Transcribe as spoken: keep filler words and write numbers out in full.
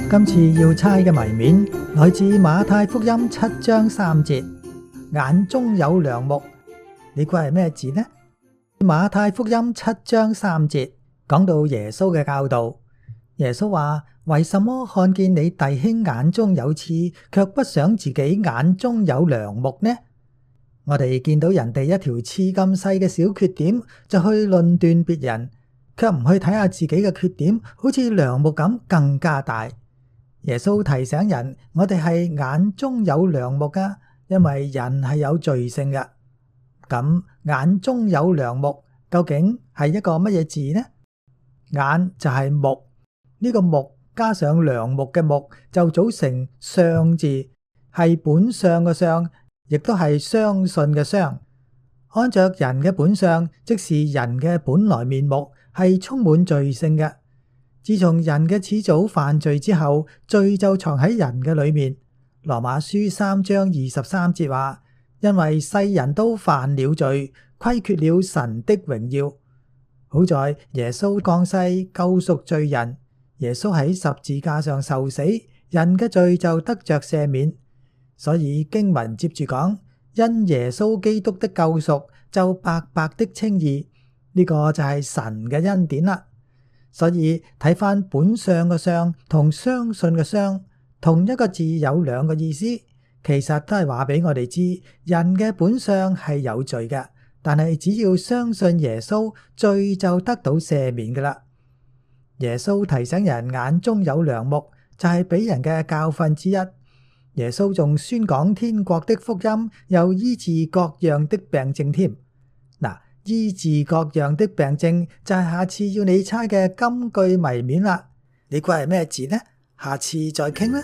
今次要猜嘅謎面來自馬太福音七章三節，眼中有梁木，你估係咩字呢？馬太福音七章三節講到耶穌嘅教導，耶穌話：為什麼看見你弟兄眼中有刺，卻不想自己眼中有梁木呢？我哋見到人哋一條刺咁細嘅小缺點，就去論斷別人，卻唔去睇下自己嘅缺點，好似梁木咁更加大。耶穌提醒人，我哋係眼中有梁木噶，因為人係有罪性噶。咁眼中有梁木究竟係一個乜嘢字呢？眼就係木，呢個木加上梁木嘅木就組成相字，係本相嘅相，亦都係相信嘅相。按着人嘅本相，即是人嘅本來面目，係充滿罪性嘅。自從人嘅始祖犯罪之後，罪就藏喺人嘅裏面。羅馬書三章二十三節話：因為世人都犯了罪，虧缺了神的榮耀。好在耶穌降世救贖罪人，耶穌喺十字架上受死，人嘅罪就得着赦免。所以經文接住講：因耶穌基督的救贖，就白白的稱義。呢個就係神嘅恩典啦。所以睇返本相嘅相同相信嘅相，同一個字有兩個意思，其實都係話俾我哋知，人嘅本相係有罪嘅，但係只要相信耶穌，罪就得到赦免㗎啦。耶穌提醒人眼中有梁木，就係俾人嘅教訓之一。耶穌仲宣講天國的福音，又醫治各樣的病症添。嗱，醫治各樣的病症就係下次要你猜嘅金句謎面啦。你估係咩字呢？下次再傾啦。